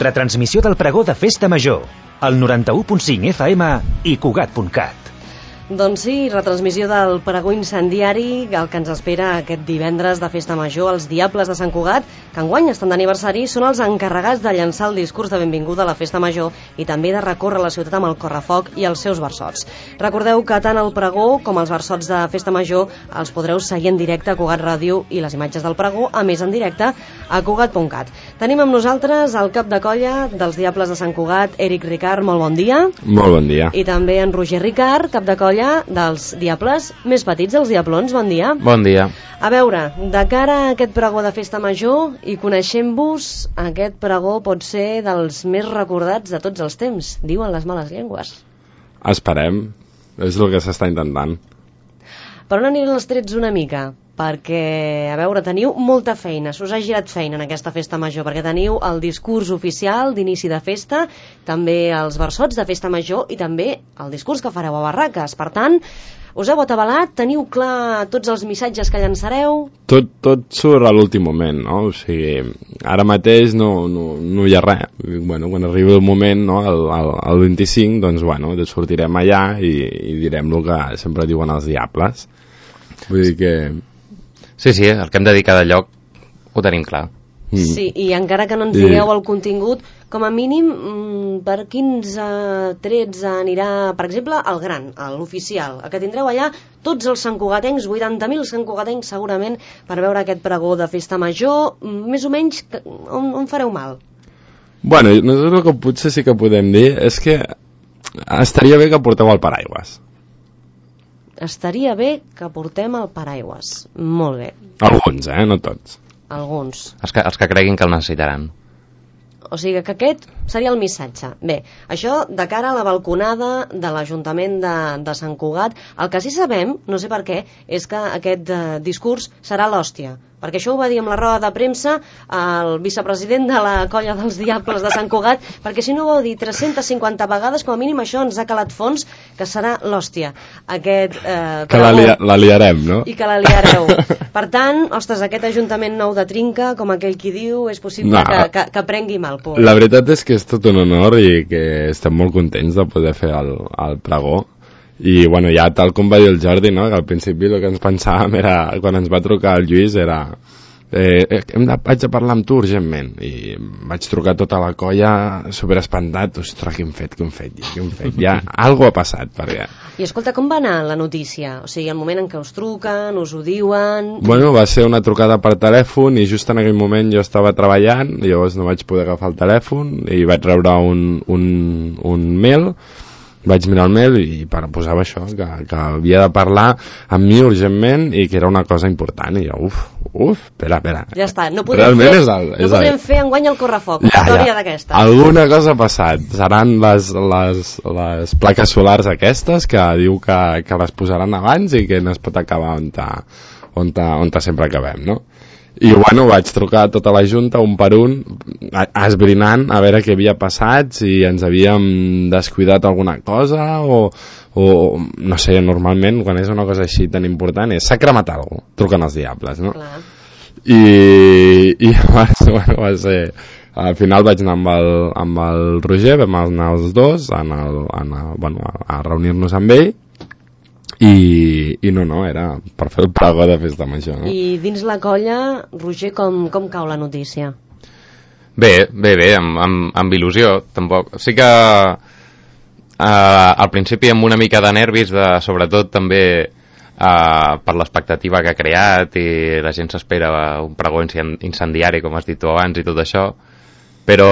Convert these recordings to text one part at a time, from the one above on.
Retransmissió del pregó de Festa Major, al 91.5 FM i Cugat.cat. Doncs sí, retransmissió del pregó incendiari, el que ens espera aquest divendres de Festa Major. Els Diables de Sant Cugat, que enguany estan d'aniversari, són els encarregats de llançar el discurs de benvinguda a la Festa Major i també de recórrer la ciutat amb el correfoc i els seus versots. Recordeu que tant el pregó com els versots de Festa Major els podreu seguir en directe a Cugat Ràdio i les imatges del pregó, a més en directe a Cugat.cat. Tenim amb nosaltres el cap de colla dels Diables de Sant Cugat, Eric Ricard, molt bon dia. Molt bon dia. I també en Roger Ricard, cap de colla dels Diables més petits, els Diablons, bon dia. Bon dia. A veure, de cara a aquest pregó de Festa Major i coneixent-vos, aquest pregó pot ser dels més recordats de tots els temps, diuen les males llengües. Esperem, és el que s'està intentant. Per on aniran els trets una mica? Perquè, a veure, teniu molta feina, s'us ha girat feina en aquesta Festa Major, perquè teniu el discurs oficial d'inici de festa, també els versots de Festa Major i també el discurs que fareu a Barraques. Per tant, us heu atabalat, teniu clar tots els missatges que llançareu? Tot surt a l'últim moment, no? O sigui, ara mateix no hi ha res. Bueno, quan arribi el moment, no, el 25, doncs, bueno, sortirem allà i direm el que sempre diuen els Diables. Vull dir que... Sí, el que hem de dir cada lloc ho tenim clar. Sí, i encara que no ens digueu el contingut, com a mínim, per quins trets anirà, per exemple, el gran, l'oficial, el que tindreu allà tots els santcugatencs, 80.000 santcugatencs segurament, per veure aquest pregó de Festa Major, més o menys, on fareu mal? Bueno, nosaltres el que potser sí que podem dir és que estaria bé que porteu el paraigües. Estaria bé que portem el paraigües. Molt bé. Alguns, no tots. Alguns. Els que creguin que el necessitaran. O sigui que aquest seria el missatge. Bé, això de cara a la balconada de l'Ajuntament de Sant Cugat, el que sí sabem, no sé per què, és que aquest discurs serà l'hòstia. Perquè això ho va dir amb la roda de premsa el vicepresident de la colla dels Diables de Sant Cugat, perquè si no ho vau dir 350 vegades, com a mínim això ens ha calat fons, que serà l'hòstia. Que la liarem, no? I que la liareu. Per tant, ostres, aquest Ajuntament nou de Trinca, com aquell qui diu, és possible que prengui mal por. La veritat és que és tot un honor i que estem molt contents de poder fer el pregó. I bueno, ja tal com va dir el Jordi, no? Que al principi el que ens pensàvem era, quan ens va trucar el Lluís, era vaig a parlar amb tu urgentment, i vaig trucar tota la colla superespantat. Ostres, què hem fet? Ja algo ha passat, perquè... I escolta, com va anar la notícia? O sigui, el moment en què us truquen, us ho diuen... Bueno, va ser una trucada per telèfon i just en aquell moment jo estava treballant, llavors no vaig poder agafar el telèfon i vaig rebre un mail. Vaig mirar el mail i posava això, que havia de parlar amb mi urgentment i que era una cosa important. I jo, espera. Ja està, no podem fer enguany el correfoc, una història d'aquesta. Alguna cosa ha passat. Seran les plaques solars aquestes que diu que les posaran abans i que no es pot acabar on sempre acabem, no? I bueno, vaig trucar a tota la Junta un per un, esbrinant a veure què havia passat, si ens havíem descuidat alguna cosa o no sé, normalment quan és una cosa així tan important s'ha cremat alguna cosa, truquen els Diables, no? Clar. I bueno, va ser... Al final vaig anar amb el Roger, vam anar els dos a reunir-nos amb ell. I no, era per fer el pregó de Festa Major, no? I dins la colla, Roger, com cau la notícia? Bé, amb il·lusió, tampoc. Sí que al principi amb una mica de nervis, sobretot també per l'expectativa que ha creat i la gent s'espera un pregó incendiari, com has dit tu abans, i tot això, però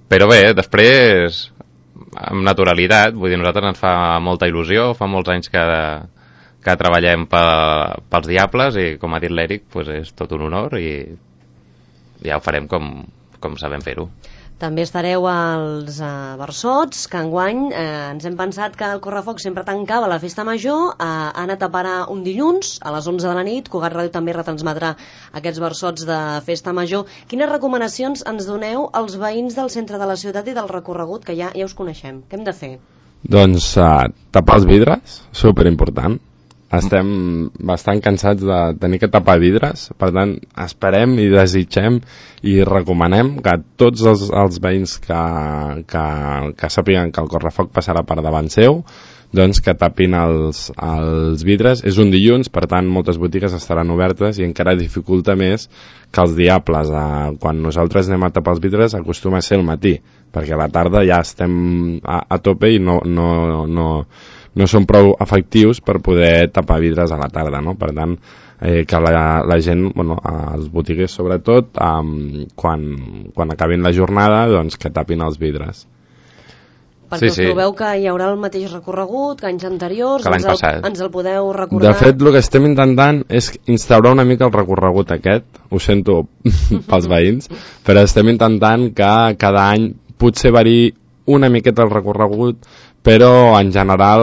bé, després... amb naturalitat, vull dir, a nosaltres ens fa molta il·lusió, fa molts anys que treballem pels Diables i com ha dit l'Eric, doncs és tot un honor i ja ho farem com sabem fer-ho. També estareu als versots, que enguany ens hem pensat que el correfoc sempre tancava la Festa Major, ha anat a parar un dilluns a les 11 de la nit. Cugat Ràdio també retransmetrà aquests versots de Festa Major. Quines recomanacions ens doneu als veïns del centre de la ciutat i del recorregut, que ja us coneixem? Què hem de fer? Doncs tapar els vidres, superimportant. estem bastant cansats de tenir que tapar vidres, per tant esperem i desitgem i recomanem que tots els veïns que sàpiguen que el correfoc passarà per davant seu, doncs que tapin els vidres. És un dilluns, per tant moltes botigues estaran obertes i encara dificulta més que els diables, quan nosaltres anem a tapar els vidres acostuma a ser el matí, perquè a la tarda ja estem a tope i no són prou efectius per poder tapar vidres a la tarda, no? Per tant, que la gent, els botiguers sobretot, quan acabin la jornada, doncs que tapin els vidres. Perquè us trobeu que hi haurà el mateix recorregut que anys anteriors, que l'any passat. Ens el podeu recordar? De fet, el que estem intentant és instaurar una mica el recorregut aquest, ho sento pels veïns, però estem intentant que cada any potser variï una miqueta el recorregut, però en general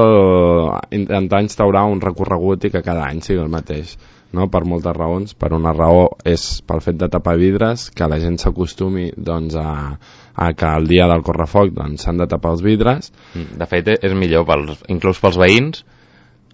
intentar instaurar un recorregut i que cada any sigui el mateix, no? Per moltes raons. Per una raó és pel fet de tapar vidres, que la gent s'acostumi doncs, a que el dia del correfoc s'han de tapar els vidres. De fet, és millor, inclús pels veïns,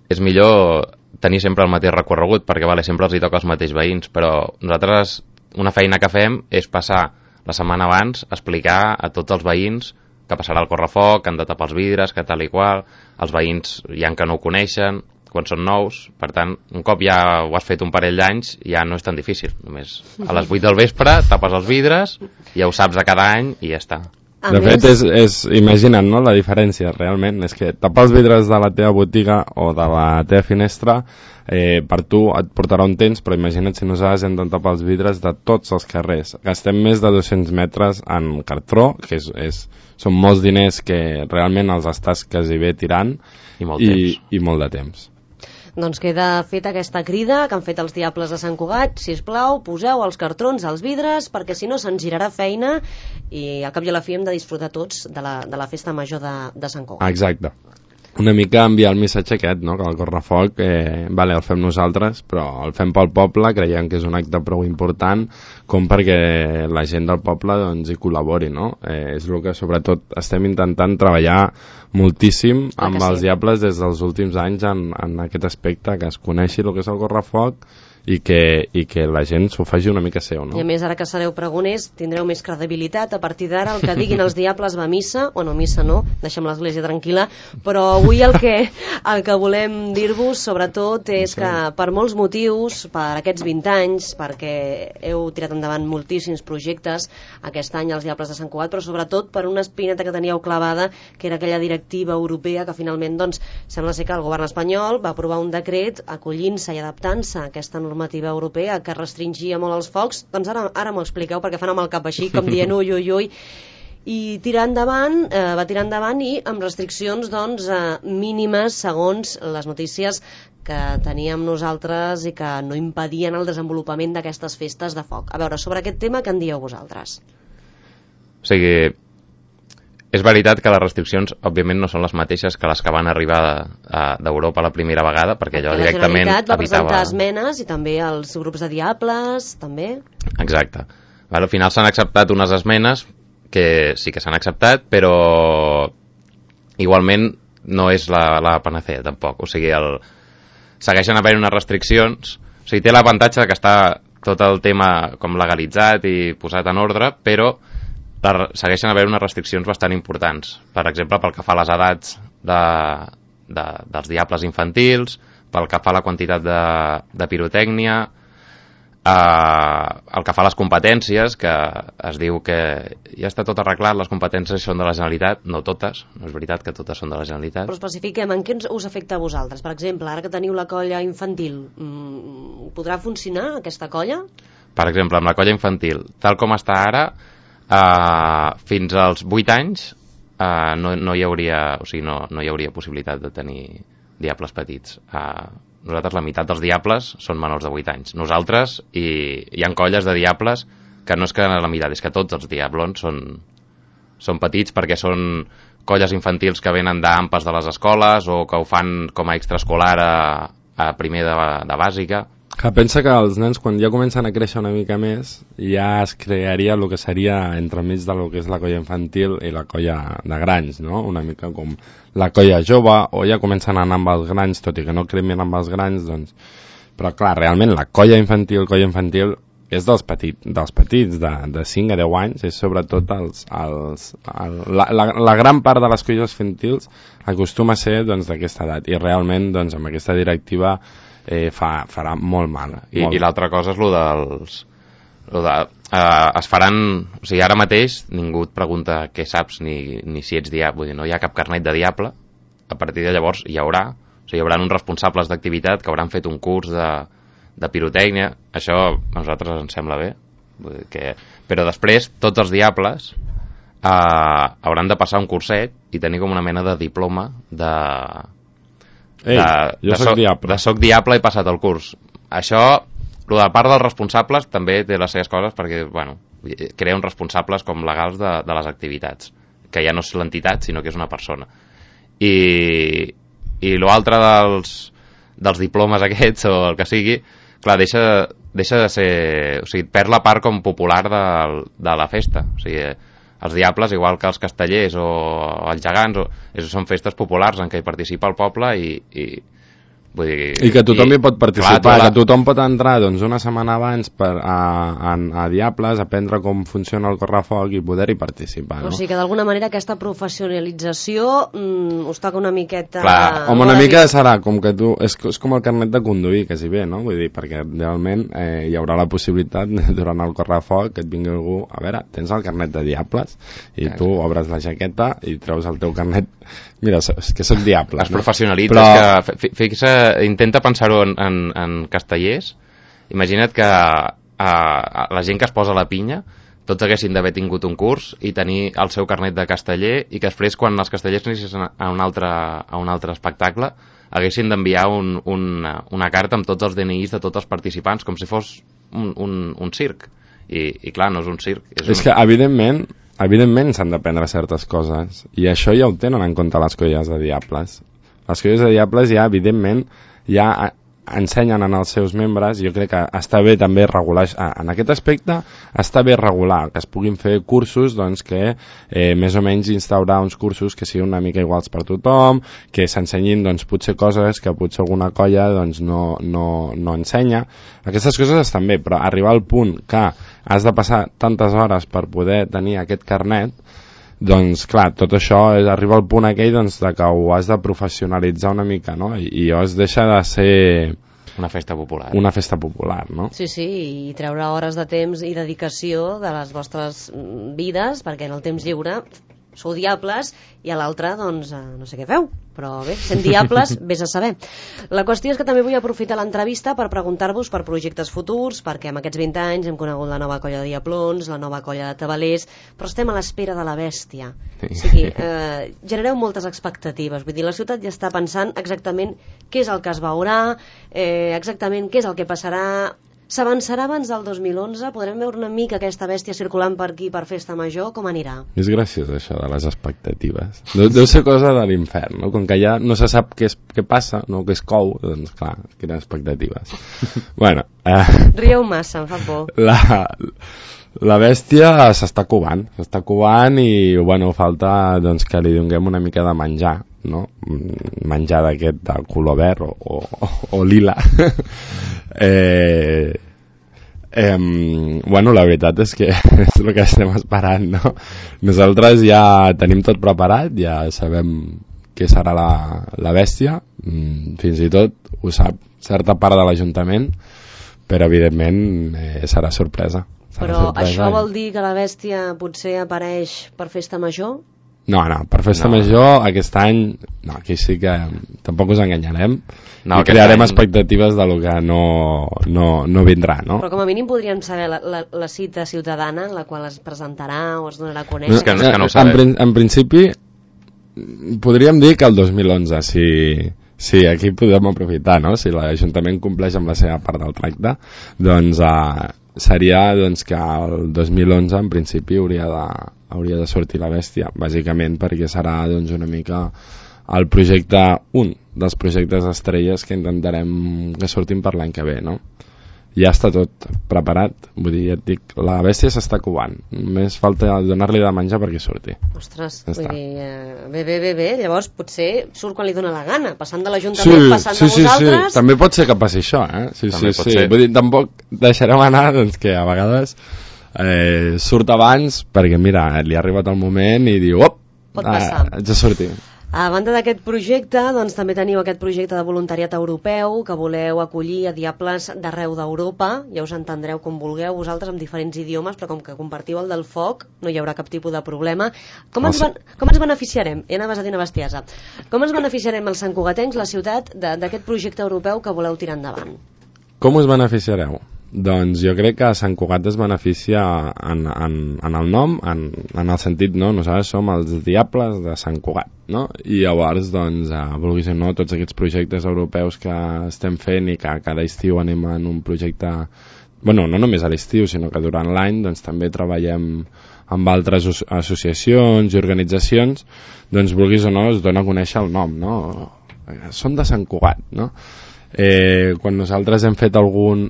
és millor tenir sempre el mateix recorregut, perquè sempre els hi toca als mateixos veïns, però nosaltres una feina que fem és passar la setmana abans a explicar a tots els veïns que passarà el correfoc, que han de tapar els vidres, que tal i qual, els veïns hi ha que no ho coneixen, quan són nous, per tant, un cop ja ho has fet un parell d'anys, ja no és tan difícil, només a les 8 del vespre tapes els vidres, ja ho saps de cada any i ja està. De fet, imagina't, no?, la diferència, realment, és que tapar els vidres de la teva botiga o de la teva finestra, per tu et portarà un temps, però imagina't si nosaltres hem de tapar els vidres de tots els carrers. Gastem més de 200 metres en cartró, que són molts diners que realment els estàs quasi bé tirant, i molt de temps. Doncs queda feta aquesta crida que han fet els Diables de Sant Cugat. Sisplau, poseu els cartrons als vidres, perquè si no se'ns girarà feina i al cap i a la fi hem de disfrutar tots de la festa major de Sant Cugat. Exacte. Una mica enviar el missatge aquest, no?, que el correfoc el fem nosaltres, però el fem pel poble, creiem que és un acte prou important com perquè la gent del poble hi col·labori, no? És el que sobretot estem intentant treballar moltíssim amb els Diables des dels últims anys en aquest aspecte, que es coneixi el que és el correfoc i que la gent s'ho faci una mica seu, no? I a més, ara que sereu pregoners, tindreu més credibilitat. A partir d'ara, el que diguin els Diables va a missa, o no, missa no, deixem l'església tranquil·la, però avui el que volem dir-vos, sobretot, és que per molts motius, per aquests 20 anys, perquè heu tirat endavant moltíssims projectes aquest any als Diables de Sant Cugat, però sobretot per una espineta que teníeu clavada, que era aquella directiva europea que finalment, sembla ser que el govern espanyol va aprovar un decret acollint-se i adaptant-se a aquesta normativa europea que restringia molt els focs. Doncs ara m'ho expliqueu, perquè fan amb el cap així, com dient ui, ui, ui, i va tirar endavant i amb restriccions mínimes segons les notícies que teníem nosaltres i que no impedien el desenvolupament d'aquestes festes de foc. A veure, sobre aquest tema, què en dieu vosaltres? O sigui, és veritat que les restriccions, òbviament, no són les mateixes que les que van arribar d'Europa la primera vegada, perquè allò directament la Generalitat va presentar esmenes i també els grups de Diables, també. Exacte. Al final s'han acceptat unes esmenes que sí que s'han acceptat, però igualment no és la panacea, tampoc. O sigui, segueixen havent unes restriccions. O sigui, té l'avantatge que està tot el tema com legalitzat i posat en ordre, però segueixen haver unes restriccions bastant importants. Per exemple, pel que fa a les edats dels Diables infantils, pel que fa a la quantitat de pirotècnia, el que fa a les competències, que es diu que ja està tot arreglat, les competències són de la Generalitat, no totes, no és veritat que totes són de la Generalitat. Però especifiquem, en què us afecta a vosaltres? Per exemple, ara que teniu la colla infantil, podrà funcionar aquesta colla? Per exemple, amb la colla infantil, tal com està ara, fins als 8 anys no hi hauria possibilitat de tenir Diables petits. Nosaltres, la meitat dels Diables són menors de 8 anys. Nosaltres, i hi ha colles de Diables que no és que la meitat, és que tots els Diablons són petits, perquè són colles infantils que venen d'AMPAs de les escoles o que ho fan com a extraescolar a primer de bàsica. Que pensa que els nens, quan ja comencen a créixer una mica més, ja es crearia el que seria entremig del que és la colla infantil i la colla de grans, no? Una mica com la colla jove, o ja comencen a anar amb els grans, tot i que no cremin amb els grans, doncs... Però clar, realment la colla infantil és dels petits, de 5 a 10 anys, és sobretot la gran part de les colles infantils acostuma a ser doncs, d'aquesta edat, i realment doncs, amb aquesta directiva farà molt mal. I l'altra cosa és es faran, o sigui, ara mateix ningú et pregunta què saps ni si ets diable, vull dir, no hi ha cap carnet de diable. A partir de llavors hi haurà uns responsables d'activitat que hauran fet un curs de pirotècnia. Això a nosaltres ens sembla bé, vull dir però després tots els diables hauran de passar un curset i tenir com una mena de diploma soc diable, he passat el curs. Això, la part dels responsables també té les seves coses, perquè bueno, crea uns responsables com legals de les activitats, que ja no és l'entitat sinó que és una persona. I l'altre dels diplomes aquests o el que sigui, clar, deixa de ser, o sigui, perd la part com popular de la festa. O sigui, els diables, igual que els castellers o els gegants, són festes populars en què hi participa el poble vull dir, i que tothom hi pot participar, que tothom pot entrar doncs, una setmana abans a Diables, aprendre com funciona el correfoc i poder-hi participar, no? O sigui que d'alguna manera aquesta professionalització us toca una miqueta... Clar, una mica serà com que tu... És com el carnet de conduir, quasi bé, no? Vull dir, perquè realment hi haurà la possibilitat durant el correfoc que et vingui algú... A veure, tens el carnet de Diables i tu obres la jaqueta i treus el teu carnet... Mira, és que soc diable. Es professionalitzes, que intenta pensar-ho en castellers. Imagina't que la gent que es posa a la pinya tots haguessin d'haver tingut un curs i tenir el seu carnet de casteller, i que després quan els castellers anessin a un altre espectacle haguessin d'enviar una carta amb tots els DNIs de tots els participants, com si fos un circ. I clar, no és un circ. És que evidentment s'han d'aprendre certes coses, i això ja ho tenen en compte les colles de diables. Les colles de diables ja, evidentment, ja ensenyen als seus membres, i jo crec que està bé també regular, en aquest aspecte està bé regular, que es puguin fer cursos doncs, que més o menys instaurar uns cursos que siguin una mica iguals per tothom, que s'ensenyin doncs, potser coses que potser alguna colla doncs, no ensenya. Aquestes coses estan bé, però arribar al punt que has de passar tantes hores per poder tenir aquest carnet, doncs clar, tot això arriba al punt aquell doncs, de que ho has de professionalitzar una mica, no? I es deixa de ser una festa popular. Una festa popular, no? Sí, i treure hores de temps i dedicació de les vostres vides, perquè en el temps lliure sou diables i a l'altre, doncs, no sé què feu, però bé, sent diables, vés a saber. La qüestió és que també vull aprofitar l'entrevista per preguntar-vos per projectes futurs, perquè en aquests 20 anys hem conegut la nova colla de diaplons, la nova colla de tabalers, però estem a l'espera de la bèstia. O sigui, genereu moltes expectatives, vull dir, la ciutat ja està pensant exactament què és el que es veurà, exactament què és el que passarà. S'avançarà abans del 2011? Podrem veure una mica aquesta bèstia circulant per aquí per Festa Major? Com anirà? És graciós això de les expectatives. Deu ser cosa de l'infern, no? Com que ja no se sap què passa, no, què es cou, doncs clar, quines expectatives. Bueno, rieu massa, em fa por. La bèstia s'està covant i, bueno, falta doncs, que li donem una mica de menjar, no? Menjar d'aquest de color verd o lila. Bueno, la veritat és que és el que estem esperant, no? Nosaltres ja tenim tot preparat, ja sabem què serà la bèstia, fins i tot ho sap certa part de l'Ajuntament, però evidentment serà sorpresa. Però això vol dir que la bèstia potser apareix per Festa Major? No, per Festa Major aquest any, no, aquí sí que tampoc us enganyarem, i crearem expectatives de lo que no vindrà, no? Però com a mínim podríem saber la cita ciutadana en la qual es presentarà o es donarà a conèixer. És que no ho sabem. En principi podríem dir que el 2011, si aquí podem aprofitar, no? Si l'Ajuntament compleix amb la seva part del tracte, doncs seria doncs, que el 2011 en principi hauria de sortir la bèstia, bàsicament perquè serà doncs, una mica el projecte dels projectes estrelles que intentarem que surtin per l'any que ve, no? Ja està tot preparat, vull dir, ja et dic, la bèstia s'està covant, només falta donar-li de menjar perquè surti. Ostres, Ja vull està. dir, bé, llavors potser surt quan li dona la gana, passant de l'Ajuntament, passant de vosaltres... Sí, també pot ser que passi això, Sí. Vull dir, tampoc deixarem anar, doncs, que a vegades surt abans, perquè mira, li ha arribat el moment i diu, pot passar. Haig de sortir. A banda d'aquest projecte, doncs també teniu aquest projecte de voluntariat europeu que voleu acollir a diables d'arreu d'Europa. Ja us entendreu com vulgueu vosaltres amb diferents idiomes, però com que compartiu el del foc no hi haurà cap tipus de problema. Com ens beneficiarem? Ja anaves a dir una bestiesa. Com ens beneficiarem els santcugatencs, la ciutat, d'aquest projecte europeu que voleu tirar endavant? Com us beneficiareu? Doncs jo crec que Sant Cugat es beneficia en el nom, en el sentit, no? Nosaltres som els diables de Sant Cugat, no? I llavors, doncs, vulguis o no, tots aquests projectes europeus que estem fent i que cada estiu anem en un projecte, bueno, no només a l'estiu, sinó que durant l'any, doncs també treballem amb altres associacions i organitzacions, doncs vulguis o no, es dona a conèixer el nom, no? Som de Sant Cugat, no? Quan nosaltres hem fet algun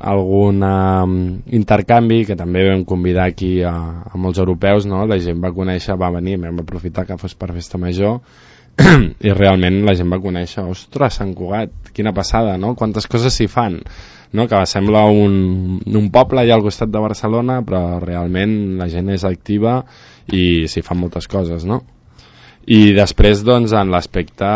intercanvi, que també vam convidar aquí a molts europeus, no? La gent va conèixer, va venir, vam aprofitar que fos per festa major i realment la gent va conèixer, ostres, Sant Cugat, quina passada, no? Quantes coses s'hi fan, no? Que sembla un poble allà al costat de Barcelona, però realment la gent és activa i s'hi fan moltes coses, no? I després, doncs, en l'aspecte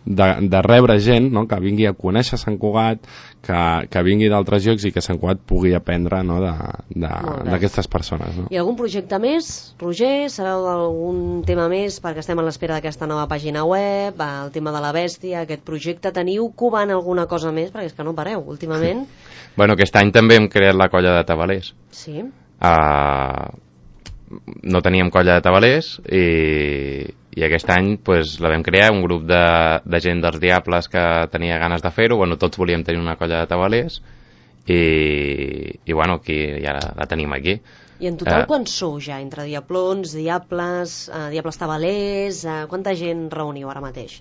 de rebre gent, no? Que vingui a conèixer Sant Cugat, que vingui d'altres llocs i que Sant Cugat pugui aprendre, no? d'aquestes persones, no? I algun projecte més, Roger? Sabeu d'algun tema més? Perquè estem a l'espera d'aquesta nova pàgina web, el tema de la bèstia, aquest projecte. Teniu covant alguna cosa més? Perquè és que no pareu, últimament. Bueno, aquest any també hem creat la colla de tabalers. Sí. No teníem colla de tabalers i aquest any pues, la vam crear, un grup de gent dels diables que tenia ganes de fer-ho. Bueno, tots volíem tenir una colla de tabalers i bueno, aquí ja la tenim aquí. I en total quants sou ja? Entre diablons, diables tabalers, quanta gent reuniu ara mateix?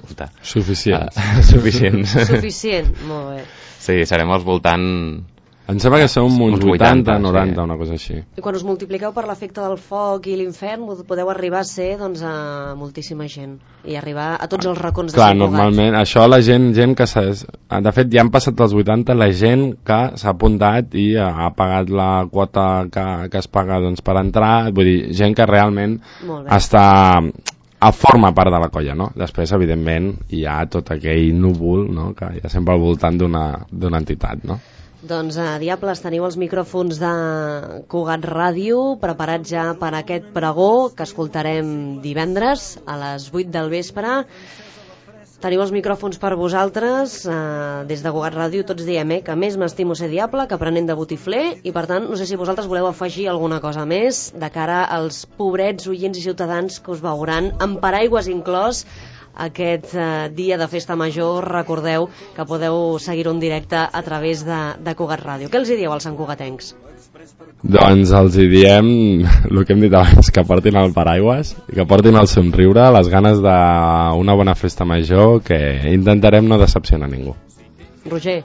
Molta. Suficient. Suficient, molt bé. Sí, serem al voltant... Em sembla que som uns 80, 90, sí. Una cosa així. I quan us multipliqueu per l'efecte del foc i l'infern, podeu arribar a ser, doncs, a moltíssima gent i arribar a tots els racons de Sant Cugat. Normalment, això la gent que de fet ja han passat els 80, la gent que s'ha apuntat i ha pagat la quota que es paga, doncs, per entrar, vull dir, gent que realment forma part de la colla, no? Després, evidentment, hi ha tot aquell núvol, no? Que hi ha sempre al voltant d'una entitat, no? Doncs, diables, teniu els micròfons de Cugat Ràdio preparats ja per aquest pregó que escoltarem divendres a les 8 del vespre. Teniu els micròfons per vosaltres. Des de Cugat Ràdio tots diem que més m'estimo ser diable que aprenent de botifler, i per tant no sé si vosaltres voleu afegir alguna cosa més de cara als pobrets oients i ciutadans que us veuran amb paraigües inclòs aquest dia de festa major. Recordeu que podeu seguir-ho en directe a través de Cugat Ràdio. Què els hi dieu als santcugatencs? Doncs els hi diem el que hem dit abans, que portin el paraigües, que portin el somriure, les ganes d'una bona festa major, que intentarem no decepcionar ningú. Roger?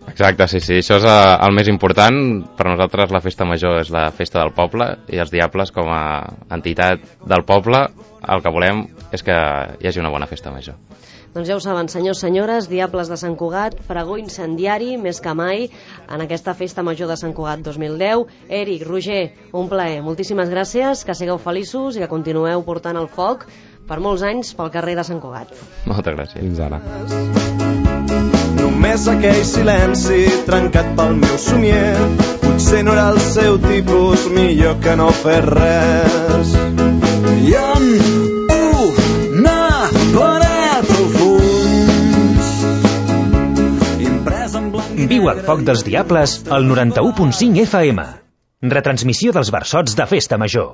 Exacte, sí, això és el més important. Per nosaltres la festa major és la festa del poble, i els diables, com a entitat del poble, el que volem és que hi hagi una bona festa major. Doncs ja ho saben, senyors, senyores, diables de Sant Cugat, pregó incendiari més que mai en aquesta festa major de Sant Cugat 2010. Eric, Roger, un plaer, moltíssimes gràcies, que sigueu feliços i que continueu portant el foc per molts anys pel carrer de Sant Cugat. Moltes gràcies. Fins ara. Només aquell silenci trencat pel meu somier, potser no era el seu tipus, millor que no fer res. I en una paret al fons, imprès en blanc. Viu el foc dels diables al 91.5 FM. Retransmissió dels versots de Festa Major.